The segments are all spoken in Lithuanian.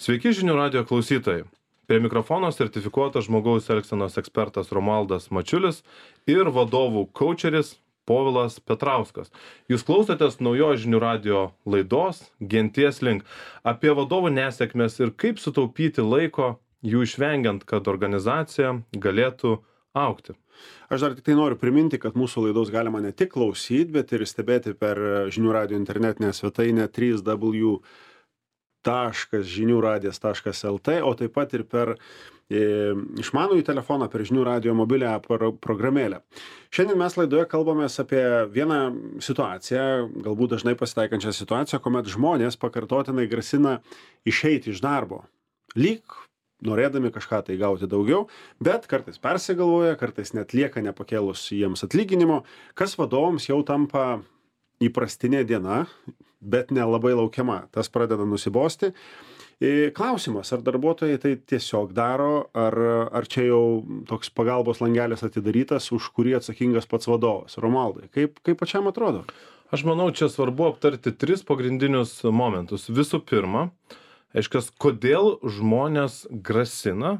Sveiki žinių radijo klausytojai. Prie mikrofono sertifikuotas žmogaus elgsenos ekspertas Romualdas Mačiulis ir vadovų kaučeris Povilas Petrauskas. Jūs klausotės naujos žinių radijo laidos Genties link apie vadovų nesėkmes ir kaip sutaupyti laiko jų išvengiant, kad organizacija galėtų augti. Aš dar tik tai noriu priminti, kad mūsų laidos galima ne tik klausyti, bet ir stebėti per žinių radijo internetinę svetainę www.žiniųradijas.lt, o taip pat ir per išmanųjį telefoną, per žinių radijo mobilią programėlę. Šiandien mes laidoje kalbamės apie vieną situaciją, galbūt dažnai pasitaikančią situaciją, kuomet žmonės pakartotinai grasina išeiti iš darbo. Lyg norėdami kažką tai gauti daugiau, bet kartais persigalvoja, kartais net lieka nepakėlus jiems atlyginimo, kas vadovams jau tampa įprastinė diena, bet nelabai laukiama. Tas pradeda nusibosti. Klausimas, ar darbuotojai tai tiesiog daro, ar čia jau toks pagalbos langelis atidarytas, už kurį atsakingas pats vadovas. Romualdai, kaip pačiam atrodo? Aš manau, čia svarbu aptarti tris pagrindinius momentus. Visų pirma, aiškias, kodėl žmonės grasina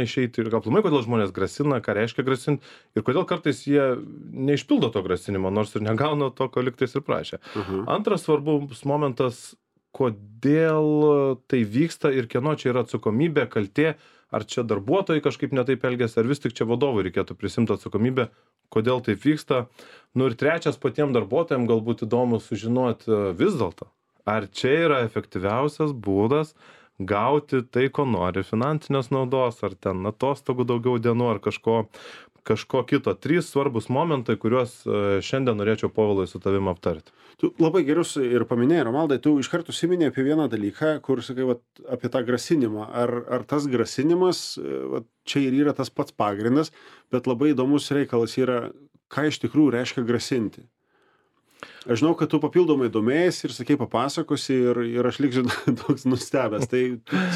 išeiti ir aplamai, kodėl žmonės grasina, ką reiškia grasinti ir kodėl kartais jie neišpildo to grasinimo, nors ir negauna to, ko lygtais ir prašė. Antras svarbus momentas, kodėl tai vyksta ir kieno čia yra atsakomybė, kaltė, ar čia darbuotojai kažkaip netaip elgiasi, ar vis tik čia vadovui reikėtų prisimti atsakomybę, kodėl taip vyksta. Nu ir trečias, patiems darbuotojams galbūt įdomu sužinoti vis dėlto. Ar čia yra efektyviausias būdas gauti tai, ko nori, finansinės naudos, ar ten atostogų daugiau dienų, ar kažko kito. Trys svarbus momentai, kuriuos šiandien norėčiau, Povilai, su tavim aptarti. Tu labai gerus ir paminėjai, Romaldai, tu iš karto užsiminei apie vieną dalyką, kur sakai, apie tą grasinimą. Ar tas grasinimas, čia ir yra tas pats pagrindas, bet labai įdomus reikalas yra, ką iš tikrųjų reiškia grasinti. Aš žinau, kad tu papildomai domėjai ir sakai papasakosi ir aš liksiu toks nustebęs. Tai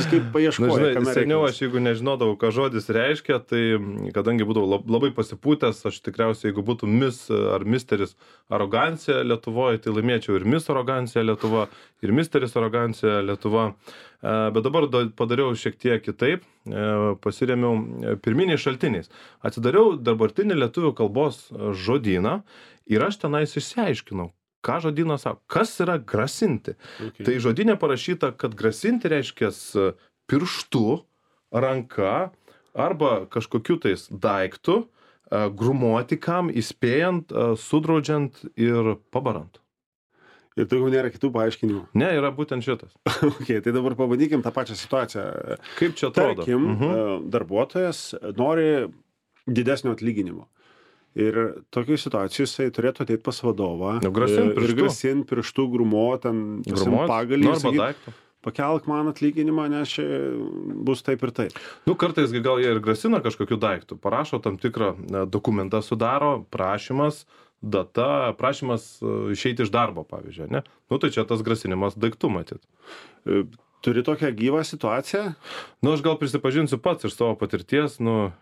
kaip paieškoji. Seniau aš jeigu nežinodavau, ką žodis reiškia, tai kadangi būdavau labai pasipūtęs, aš tikriausiai, jeigu būtų Miss ar Misteris arogancija Lietuvoje, tai laimėčiau ir Miss arogancija Lietuva, ir Misteris arogancija Lietuva. Bet dabar padariau šiek tiek kitaip, pasiremiau pirminiais šaltiniais. Atsidariau dabartinį lietuvių kalbos žodyną ir aš tenais išsiaiškinau, ką žodynas sako, kas yra grasinti. Tai žodynė parašyta, kad grasinti reiškia pirštu, ranka arba kažkokiu tais daiktu, grumuoti kam, įspėjant, sudraudžiant ir pabarant. Ir daugiau nėra kitų paaiškinimų. Ne, yra būtent šitas. Tai dabar pabandykim tą pačią situaciją. Kaip čia atrodo? Tarkim, darbuotojas nori didesnio atlyginimo. Ir tokiai situacijai jisai turėtų ateiti pas vadovą ir grasinti pirštų, grumuoti, pagalį ir sakyti, pakelk man atlyginimą, nes čia bus taip ir taip. Kartais gal jie ir grasina kažkokiu daiktu, parašo tam tikrą dokumentą, sudaro prašymas, data, prašymas išeiti iš darbo, pavyzdžiui, ne? Tai čia tas grasinimas daiktų matyt. Turi tokią gyvą situaciją? Aš gal prisipažinsiu pats iš savo patirties,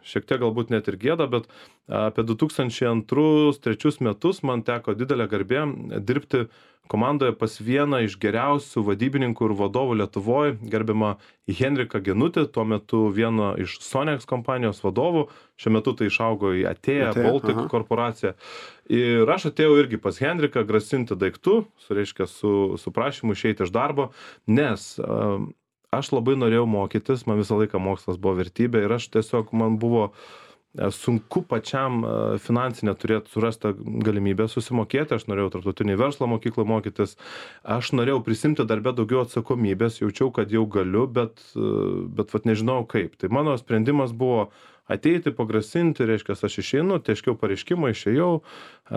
šiek tiek galbūt net ir gėda, bet apie 2002-2003 metus man teko didelė garbė dirbti komandoje pas vieną iš geriausių vadybininkų ir vadovų Lietuvoje, gerbiamą Henriką Genutį, tuo metu vieną iš Sonex kompanijos vadovų, šiuo metu tai išaugo į Atėję Baltic korporaciją. Ir aš atėjau irgi pas Henriką grasinti daiktų, su prašymu išeiti iš darbo, nes aš labai norėjau mokytis, man visą laiką mokslas buvo vertybė ir aš tiesiog, man buvo sunku pačiam finansinę surasti galimybę susimokėti, aš norėjau tarptautinį verslo mokyklą mokytis, aš norėjau prisimti darbe daugiau atsakomybės, jaučiau, kad jau galiu, bet nežinau kaip. Tai mano sprendimas buvo ateiti, pagrasinti, reiškia, aš išeinu, teiškiau pareiškimą, išėjau,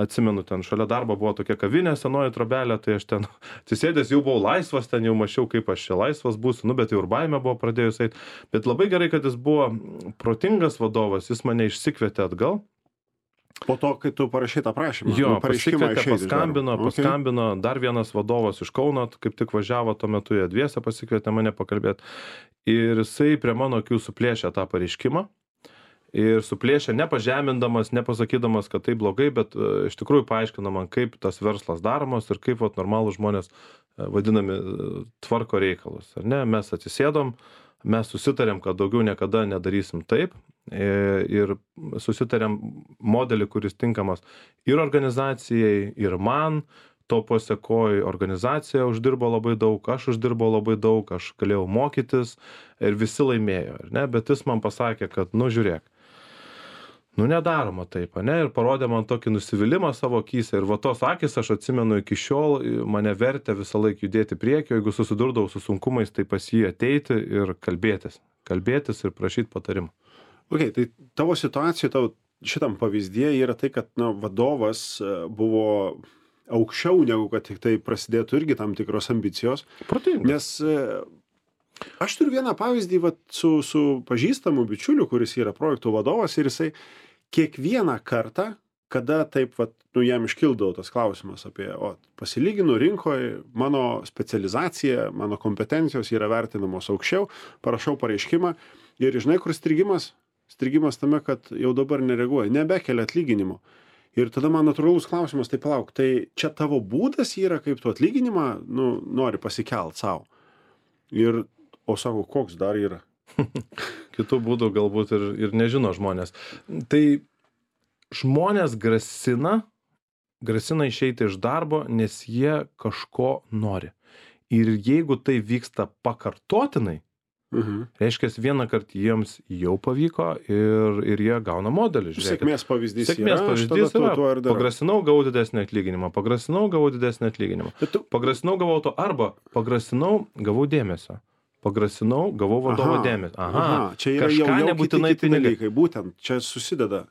atsimenu, ten šalia darbo buvo tokia kavinė, senoji trobelė, tai aš ten atsisėdęs jau buvau laisvas, ten jau mačiau, kaip aš čia laisvas būsiu, bet jau ir baimė buvo pradėjus eiti, bet labai gerai, kad jis buvo protingas vadovas, jis mane išsikvietė atgal. Po to, kai tu parašai tą prašymą. Jo, pasikvietė, paskambino, dar vienas vadovas iš Kauno, kaip tik važiavo tuo metu, jie dviese pasikvietė mane pakalbėti ir jisai prie mano akių suplėšė tą pareiškimą. Ir suplėšė nepažemindamas, nepasakydamas, kad tai blogai, bet iš tikrųjų paaiškino man, kaip tas verslas daromas ir kaip normalūs žmonės vadinami tvarko reikalus, ar ne? Mes atsisėdom, mes susitarėm, kad daugiau niekada nedarysim taip ir susitarėm modelį, kuris tinkamas ir organizacijai, ir man. To pasekoj organizacija uždirbo labai daug, aš uždirbau labai daug, aš galėjau mokytis ir visi laimėjo, ar ne? Bet jis man pasakė, kad, nu žiūrėk, nu nedaroma taip, ne? Ir parodė man tokį nusivylimą savo akyse. Ir va tos akis, aš atsimenu iki šiol, mane vertė visą laiką judėti priekio, jeigu susidurdavau su sunkumais, tai pas jį ateiti ir kalbėtis ir prašyti patarimų. Ok, tai tavo situacija, tavo šitam pavyzdėje yra tai, kad vadovas buvo aukščiau negu kad tik tai prasidėtų irgi tam tikros ambicijos. Protingas. Nes aš turiu vieną pavyzdį su pažįstamu bičiuliu, kuris yra projektų vadovas ir jisai kiekvieną kartą, kada taip jam iškildavo tas klausimas apie, pasilyginu rinkoje, mano specializacija, mano kompetencijos yra vertinamos aukščiau, parašau pareiškimą ir žinai, kur strigimas? Strigimas tame, kad jau dabar nereaguoja, nebekelia atlyginimo. Ir tada man natūralus klausimas, tai palauk, tai čia tavo būdas yra, kaip tu atlyginimą nori pasikelt savo. O sako, koks dar yra? Kitų būdų galbūt ir nežino žmonės. Tai žmonės grasina išeiti iš darbo, nes jie kažko nori. Ir jeigu tai vyksta pakartotinai, reiškia, vieną kartą jiems jau pavyko ir jie gauna modelį. Žiūrėkit. Sėkmės pavyzdys yra. Pagrasinau, gavau didesnį atlyginimą. Pagrasinau, gavau to, arba pagrasinau, gavau dėmesio. Pagrasinau, gavau vadovo dėmesio. Čia yra jau nebūtinai pinigai. Būtent, čia susideda.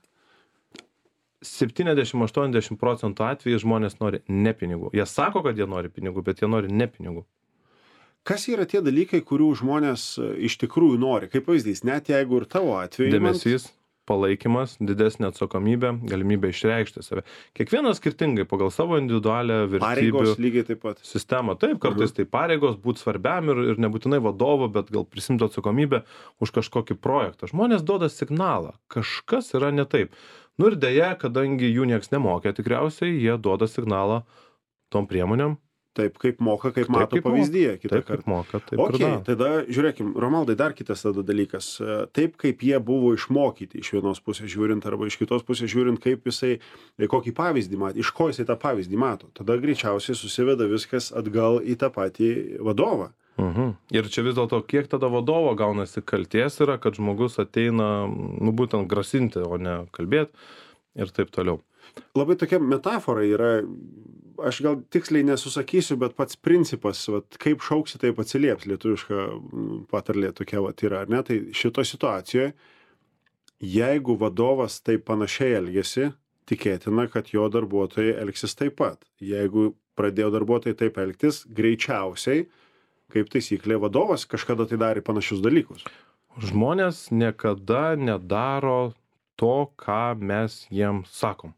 70-80% atvejų žmonės nori ne pinigų. Jie sako, kad jie nori pinigų, bet jie nori ne pinigų. Kas yra tie dalykai, kurių žmonės iš tikrųjų nori? Kaip pavyzdys, net jeigu ir tavo atveju. Dėmesys, palaikymas, didesnė atsakomybė, galimybė išreikšti save. Kiekvienas skirtingai pagal savo individualią vertybių pareigos lygiai taip pat. Sistemą. Taip, kartais tai pareigos būti svarbiam ir nebūtinai vadovo, bet gal prisimti atsakomybę už kažkokį projektą. Žmonės duoda signalą, kažkas yra ne taip. Nu ir dėja, kadangi jų nieks nemokė, tikriausiai jie duoda signalą tom priemonėm. Taip, kaip moka, kaip mato pavyzdyje kitą kartą. Kaip moka, taip ir daro. Tada žiūrėkim, Romaldai, dar kitas tada dalykas. Taip, kaip jie buvo išmokyti iš vienos pusės žiūrint arba iš kitos pusės žiūrint, kaip jisai, kokį pavyzdį mato, iš ko jisai tą pavyzdį mato. Tada greičiausiai susiveda viskas atgal į tą patį vadovą. Ir čia vis dėlto, kiek tada vadovo gaunasi kaltės yra, kad žmogus ateina, būtent grasinti, o ne kalbėti ir taip toliau. Labai tokia metafora yra, aš gal tiksliai nesusakysiu, bet pats principas, kaip šauksi, taip atsilieps, lietuviška patarlė tokia yra, ar ne? Tai šito situacijoje, jeigu vadovas taip panašiai elgiasi, tikėtina, kad jo darbuotojai elgsis taip pat. Jeigu pradėjo darbuotojai taip elgtis, greičiausiai, kaip taisyklė, vadovas kažkada tai darė panašius dalykus. Žmonės niekada nedaro to, ką mes jiems sakom.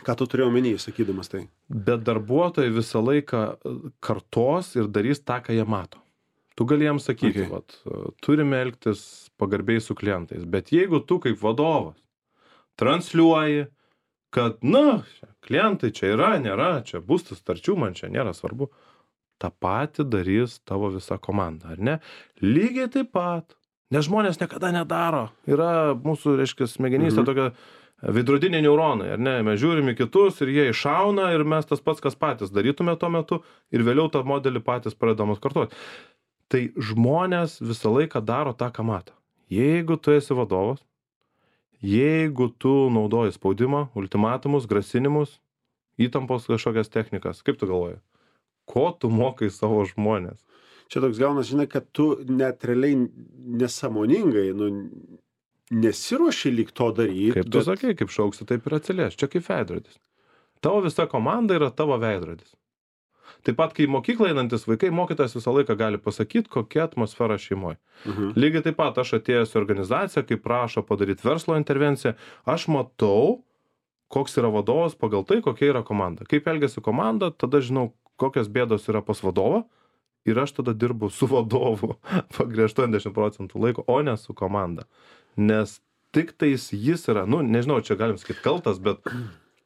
Ką tu turėjau omeny, sakydamas tai? Bet darbuotojai visą laiką kartos ir darys tą, ką jie mato. Tu gali jiems sakyti, turime elgtis pagarbiai su klientais, bet jeigu tu kaip vadovas transliuoji, kad, klientai čia yra, nėra, čia bus sutarčių, man čia nėra svarbu, tą patį darys tavo visa komanda, ar ne? Lygiai taip pat, nes žmonės niekada nedaro. Yra mūsų, reiškia, smegenyse tokia veidrodiniai neuronai, ar ne? Mes žiūrime kitus ir jie iššauna ir mes tas pats, kas patys darytume tuo metu ir vėliau tą modelį patys pradedam atkartoti. Tai žmonės visą laiką daro tą, ką mato. Jeigu tu esi vadovas, jeigu tu naudoji spaudimą, ultimatumus, grasinimus, įtampos kažkokias technikas, kaip tu galvoji? Ko tu mokai savo žmonės? Čia toks gaunas, žinai, kad tu net realiai nesąmoningai, nesiruoši lyg to daryti. Kaip tu sakai, kaip šauksi, taip ir atsilės. Čia kaip veidrodis. Tavo visa komanda yra tavo veidrodis. Taip pat, kai mokyklą einantis vaikai, mokytojas visą laiką gali pasakyti, kokia atmosfera šeimoje. Lygiai taip pat aš atėjęs į organizaciją, kai prašo padaryti verslo intervenciją, aš matau, koks yra vadovas pagal tai, kokia yra komanda. Kaip elgiasi komanda, tada žinau, kokios bėdos yra pas vadovą ir aš tada dirbu su vadovu pagrį 80% laiko, o ne su komanda. Nes tik tais jis yra, nežinau, čia galim sakyti kaltas, bet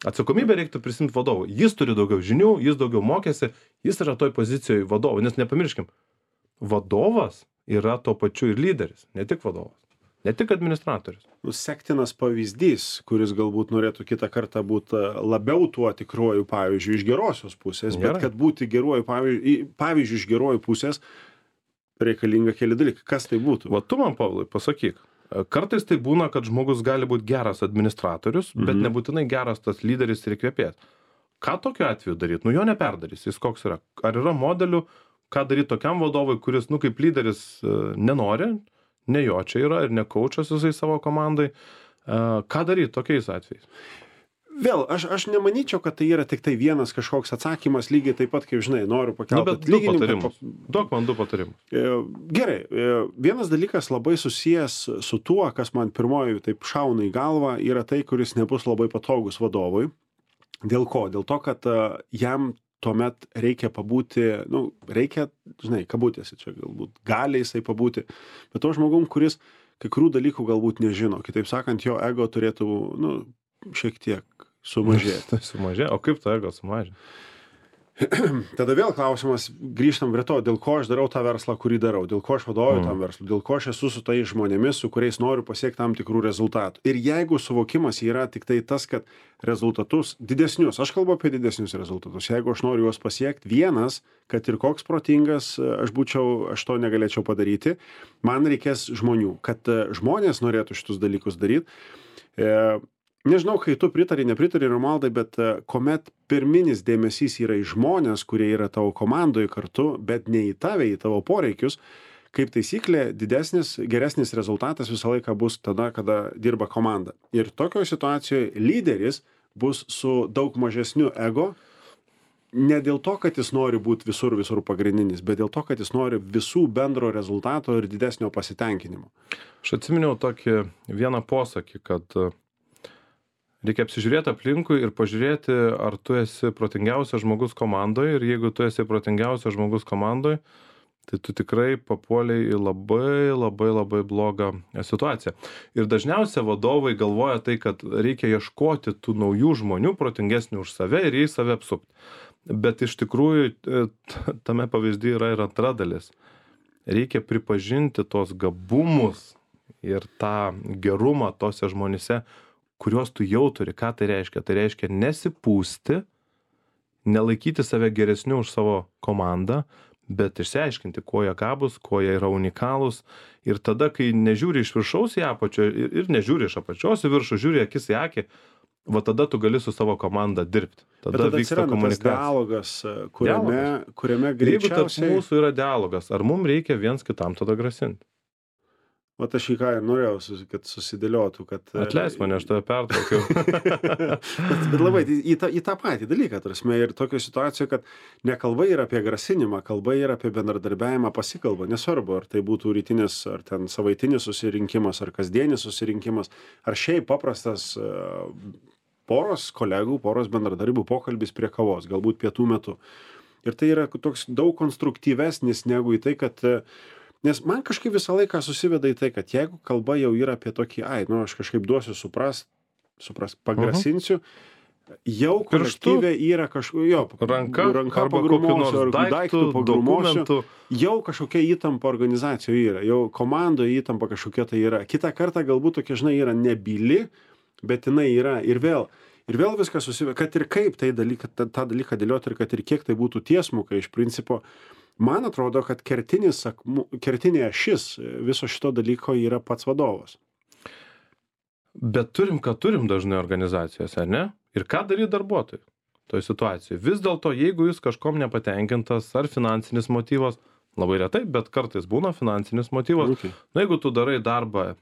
Atsakomybę reiktų prisimti vadovui. Jis turi daugiau žinių, jis daugiau mokėsi, jis yra toj pozicijoje vadovo. Nes nepamirškim, vadovas yra tuo pačiu ir lyderis, ne tik vadovas, ne tik administratorius. Sektinas pavyzdys, kuris galbūt norėtų kitą kartą būti labiau tuo tikruoju pavyzdžiu iš gerosios pusės, bet kad būti geruoju pavyzdžiu iš gerojų pusės, reikalinga keli dalykai. Kas tai būtų? Va tu man, Pavlai, pasakyk. Kartais tai būna, kad žmogus gali būti geras administratorius, bet nebūtinai geras tas lyderis ir įkvėpėjas. Ką tokiu atveju daryti? Nu jo neperdarys, jis koks yra. Ar yra modelių, ką daryti tokiam vadovui, kuris, kaip lyderis nenori, ne jo čia yra ir ne kaučas jisai savo komandai. Ką daryti tokiais atvejais? Vėl, aš nemanyčiau, kad tai yra tik tai vienas kažkoks atsakymas, lygiai taip pat, kaip žinai, noriu pakelti atlyginimą. Duok man 2 patarimus. Gerai, vienas dalykas labai susijęs su tuo, kas man pirmoji taip šauna į galvą, yra tai, kuris nebus labai patogus vadovui. Dėl ko? Dėl to, kad jam tuomet reikia pabūti, reikia, žinai, kabutėse čia galbūt, gali jisai pabūti, bet to žmogum, kuris kai kurių dalykų galbūt nežino. Kitaip sakant, jo ego turėtų, šiek tiek sumažėti. Sumažė? O kaip to ego sumažė? Tada vėl klausimas, grįžtam prie to, dėl ko aš darau tą verslą, kurį darau, dėl ko aš vadovauju tam verslui, dėl ko aš esu su tais žmonėmis, su kuriais noriu pasiekti tam tikrų rezultatų. Ir jeigu suvokimas yra tik tai tas, kad rezultatus didesnius, aš kalbu apie didesnius rezultatus, jeigu aš noriu juos pasiekti, vienas, kad ir koks protingas aš to negalėčiau padaryti, man reikės žmonių, kad žmonės norėtų šitus dalykus daryti. Nežinau, kai tu nepritari, Romaldai, bet kuomet pirminis dėmesys yra į žmonės, kurie yra tavo komandoje kartu, bet ne į tave, į tavo poreikius, kaip taisyklė, geresnis rezultatas visą laiką bus tada, kada dirba komanda. Ir tokioje situacijoje lyderis bus su daug mažesniu ego, ne dėl to, kad jis nori būti visur pagrindinis, bet dėl to, kad jis nori visų bendro rezultato ir didesnio pasitenkinimo. Aš atsiminiau tokį vieną posakį, kad reikia apsižiūrėti aplinkui ir pažiūrėti, ar tu esi protingiausias žmogus komandoje, ir jeigu tu esi protingiausias žmogus komandoje, tai tu tikrai papuoliai į labai blogą situaciją. Ir dažniausiai vadovai galvoja tai, kad reikia ieškoti tų naujų žmonių, protingesnių už save ir jais save apsupti. Bet iš tikrųjų tame pavyzdyje yra ir antra dalis. Reikia pripažinti tos gabumus ir tą gerumą tose žmonėse, kuriuos tu jau turi. Ką tai reiškia? Tai reiškia nesipūsti, nelaikyti save geresniu už savo komandą, bet išsiaiškinti, kuo jie gabūs, kuo jie yra unikalūs. Ir tada, kai nežiūri iš viršaus į apačią ir nežiūri iš apačios į viršų, žiūri akis į akį, va tada tu gali su savo komanda dirbti. Tada vyksta komunikacija. Dialogas, kuriame greičiausiai... Jeigu tarp mūsų yra dialogas, ar mums reikia viens kitam tada grasinti? Vat aš į ką norėjau, kad susidėliotų, kad... Atleisk mane, aš tave pertraukiau. bet labai į tą patį dalyką, tarsi, ir tokio situacijoje, kad ne kalba yra apie grasinimą, kalba yra apie bendradarbiavimą pasikalbą, nesvarbu, ar tai būtų rytinis, ar ten savaitinis susirinkimas, ar kasdienis susirinkimas, ar šiaip paprastas poros kolegų, poros bendradarbių pokalbis prie kavos, galbūt pietų metu. Ir tai yra toks daug konstruktyvesnis negu į tai, kad... Nes man kažkaip visą laiką susiveda į tai, kad jeigu kalba jau yra apie tokį, aš kažkaip duosiu suprast, pagrasinsiu, jau kolektyve yra ranka pagrumosiu, ar daiktų pagrumosiu, jau kažkokia įtampa organizacijoje yra, jau komandoje įtampa kažkokia tai yra. Kitą kartą galbūt tokia, žinai, yra nebyli, bet jinai yra ir vėl viskas susiveda, kad ir kaip tą dalyką dėlioti ir kad ir kiek tai būtų tiesmukai iš principo. Man atrodo, kad kertinė ašis viso šito dalyko yra pats vadovas. Bet turim dažnai organizacijose, ne? Ir ką daryti darbuotojai toje situacijoje? Vis dėlto, jeigu jūs kažkom nepatenkintas, ar finansinis motyvas, labai retai, bet kartais būna finansinis motyvas. Okay. Jeigu tu darai darbą,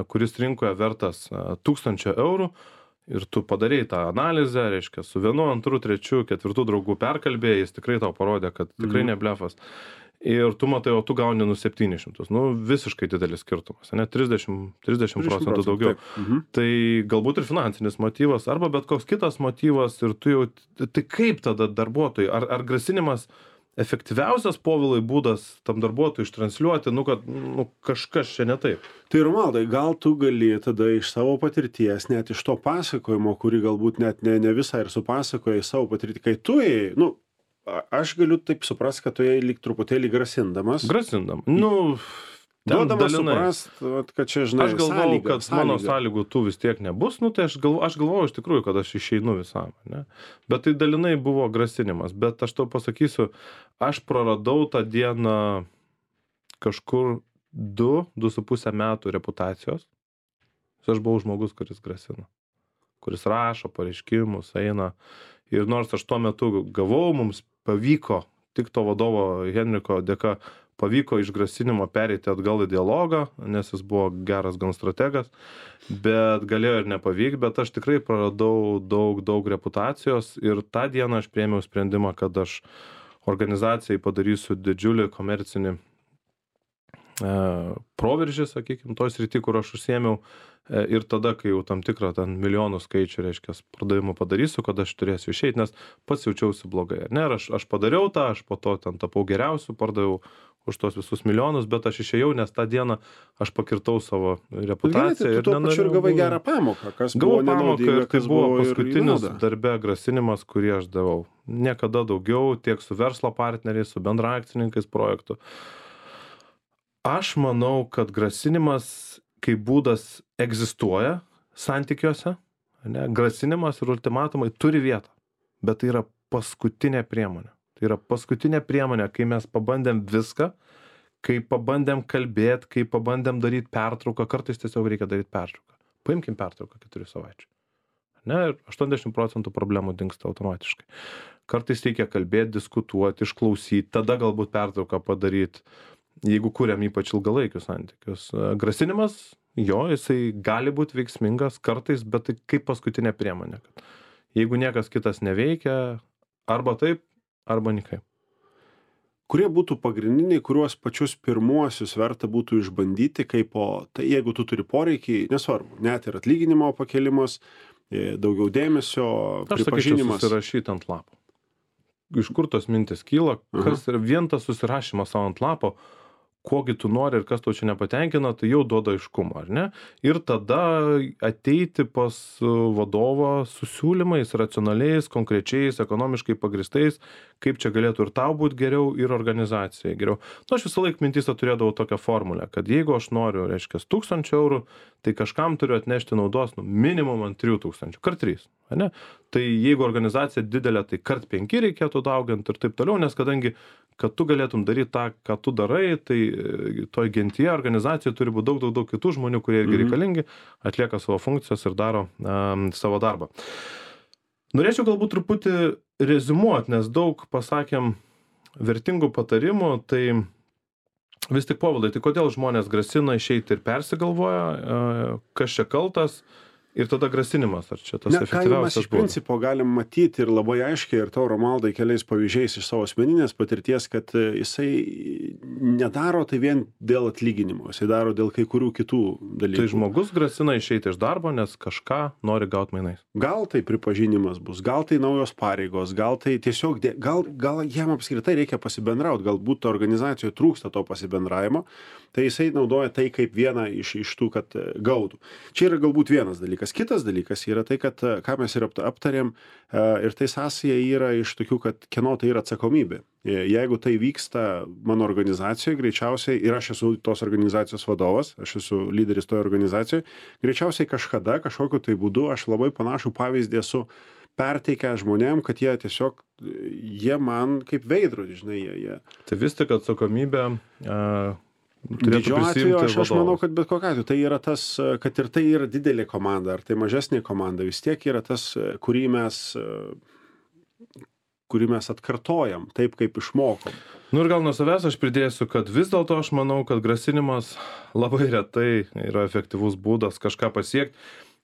kuris rinkoje vertas 1000 eurų, ir tu padarei tą analizę, reiškia, su 1, 2, 3, 4 draugų perkalbėjai, jis tikrai tau parodė, kad tikrai ne blefas. Ir tu matai, o tu gauni 700. Visiškai didelis skirtumas, ne? 30% daugiau. Tai galbūt ir finansinis motyvas, arba bet koks kitas motyvas, ir tu jau... Tai kaip tada darbuotojai? Ar grasinimas efektyviausias, Povilai, būdas tam darbuotojui ištransliuoti, kad kažkas čia ne taip. Tai Romaldai, gal tu gali tada iš savo patirties, net iš to pasakojimo, kurį galbūt net ne visą ir supasakojai savo patirtį, kai tu ėjai, aš galiu taip suprasti, kad tu ėjai lyg truputėlį grasindamas. Duodamas suprast, kad čia, žinai, aš galvojau, kad mano sąlygų tų vis tiek nebus, tai aš galvojau iš tikrųjų, kad aš išeinu visam, ne? Bet tai dalinai buvo grasinimas, bet aš tau pasakysiu, aš praradau tą dieną kažkur 2,5 metų reputacijos. Aš buvau žmogus, kuris grasina, kuris rašo pareiškimus, eina. Ir nors aš tuo metu gavau, mums pavyko, tik to vadovo Henriko dėka, pavyko iš grasinimo pereiti atgal į dialogą, nes jis buvo geras gan strategas, bet galėjo ir nepavykti, bet aš tikrai praradau daug reputacijos ir tą dieną aš priėmiau sprendimą, kad aš organizacijai padarysiu didžiulį komercinį proveržį, sakykime, toj srity, kur aš užsiėmiau, ir tada, kai jau tam tikrą ten milijonų skaičių, reiškia, pardavimų padarysiu, kad aš turėsiu išeiti, nes pats jaučiausi blogai. Ne, aš padariau tą, aš po to ten tapau geriausiu, pardaviau už tos visus milijonus, bet aš išėjau, nes tą dieną aš pakirtau savo reputaciją. Ir tuo pačiu ir gavai gerą pamoką, kas buvo nenaudinga, pamoką, ir tai buvo paskutinis darbe grasinimas, kurį aš davau. Niekada daugiau, tiek su verslo partneriais, su bendraakcininkais projektų. Aš manau, kad grasinimas kaip būdas egzistuoja santykiuose, ne? Grasinimas ir ultimatumai turi vietą, bet tai yra paskutinė priemonė. Tai yra paskutinė priemonė, kai mes pabandėm viską, kai pabandėm kalbėti, kai pabandėm daryti pertrauką, kartais tiesiog reikia daryti pertrauką. Paimkim pertrauką 4 savaičių. Ne, ir 80% problemų dingsta automatiškai. Kartais reikia kalbėti, diskutuoti, išklausyti, tada galbūt pertrauką padaryti, jeigu kuriam ypač ilgalaikius santykius. Grasinimas, jisai gali būti veiksmingas kartais, bet tai kaip paskutinė priemonė. Jeigu niekas kitas neveikia, arba taip, arba nikaip. Kurie būtų pagrindiniai, kuriuos pačius pirmuosius verta būtų išbandyti, tai jeigu tu turi poreikį, nesvarbu, net ir atlyginimo pakelimas, daugiau dėmesio, pripažinimas. Aš sakyčiau, susirašyti ant lapo. Iš kur tos mintis kyla, kas yra vien tas susirašymas savo ant lapo, kogi tu nori ir kas tau čia nepatenkina, tai jau duoda aiškumą, ar ne? Ir tada ateiti pas vadovą su siūlymais, racionaliais, konkrečiais, ekonomiškai pagristais, kaip čia galėtų ir tau būti geriau, ir organizacijai geriau. Aš visą laiką mintyse turėdavau tokią formulę, kad jeigu aš noriu, reiškia, 1000 eurų, tai kažkam turiu atnešti naudos minimum ant 3000, kart 3. Ne? Tai jeigu organizacija didelė, tai kart 5 reikėtų dauginti ir taip toliau, nes kadangi, kad tu galėtum daryti tą, ką tu darai, tai toj gentyje organizacijoje turi būti daug kitų žmonių, kurie irgi reikalingi, atlieka savo funkcijas ir daro savo darbą. Norėčiau galbūt truputį reziumuoti, nes daug pasakėm vertingų patarimų, tai vis tik, Povilai, tai kodėl žmonės grasina išeiti ir persigalvoja, kas čia kaltas? Ir tada grasinimas, ar čia tas efektyviausias būdas? Iš principo galim matyti ir labai aiškiai, ir tau, Romaldai, keliais pavyzdžiais iš savo asmeninės patirties, kad jisai nedaro tai vien dėl atlyginimo, jisai daro dėl kai kurių kitų dalykų. Tai žmogus grasina išeiti iš darbo, nes kažką nori gauti mainais. Gal tai pripažinimas bus, gal tai naujos pareigos, gal tai tiesiog, gal jam apskritai reikia pasibendrauti, galbūt organizacijoje trūksta to pasibendravimo, tai jisai naudoja tai kaip vieną iš tų, kad gautų. Čia yra galbūt vienas dalykas. Kitas dalykas yra tai, kad, ką mes ir aptarėm, ir tai sąsaja yra iš tokių, kad kieno tai yra atsakomybė. Jeigu tai vyksta mano organizacijoje, greičiausiai, ir aš esu tos organizacijos vadovas, aš esu lyderis toje organizacijoje, greičiausiai kažkada, kažkokiu tai būdu, aš labai panašų pavyzdį esu perteikę žmonėm, kad jie tiesiog, jie man kaip veidrodį, žinai, jie. Tai vis tik atsakomybė didžiu atveju aš manau, kad bet kokiu atveju tai yra tas, kad ir tai yra didelė komanda, ar tai mažesnė komanda, vis tiek yra tas, kurį mes atkartojam, taip kaip išmokom. Ir gal nuo savęs aš pridėsiu, kad vis dėlto aš manau, kad grasinimas labai retai yra efektyvus būdas kažką pasiekti.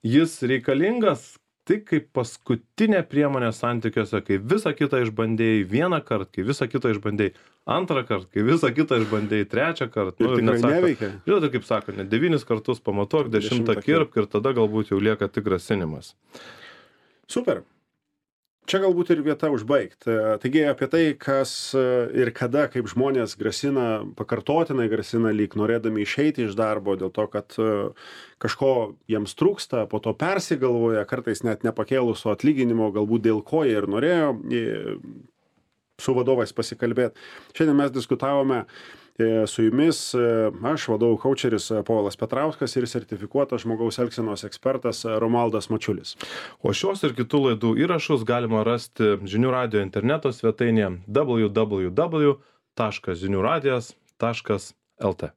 Jis reikalingas tik kaip paskutinė priemonė santykiuose, kai visą kitą išbandėjai vieną kartą, kai visą kitą išbandėjai antrą kartą, kai visą kitą išbandėjai trečią kartą. Ir tikrai neveikia. Žinote, kaip sako, 9 kartus pamatuok, 10 kirpk ir tada galbūt jau lieka tik grasinimas. Super. Čia galbūt ir vieta užbaigt. Taigi apie tai, kas ir kada, kaip žmonės pakartotinai grasina lyg norėdami išeiti iš darbo dėl to, kad kažko jiems trūksta, po to persigalvoja, kartais net nepakėlusio atlyginimo, galbūt dėl ko jie ir norėjo su vadovais pasikalbėti. Šiandien mes diskutavome su jumis, aš vadovų kaučeris Povilas Petrauskas ir sertifikuotas žmogaus elgsenos ekspertas Romualdas Mačiulis. O šios ir kitų laidų įrašus galima rasti Žinių radijo interneto svetainėje www.žiniuradijas.lt.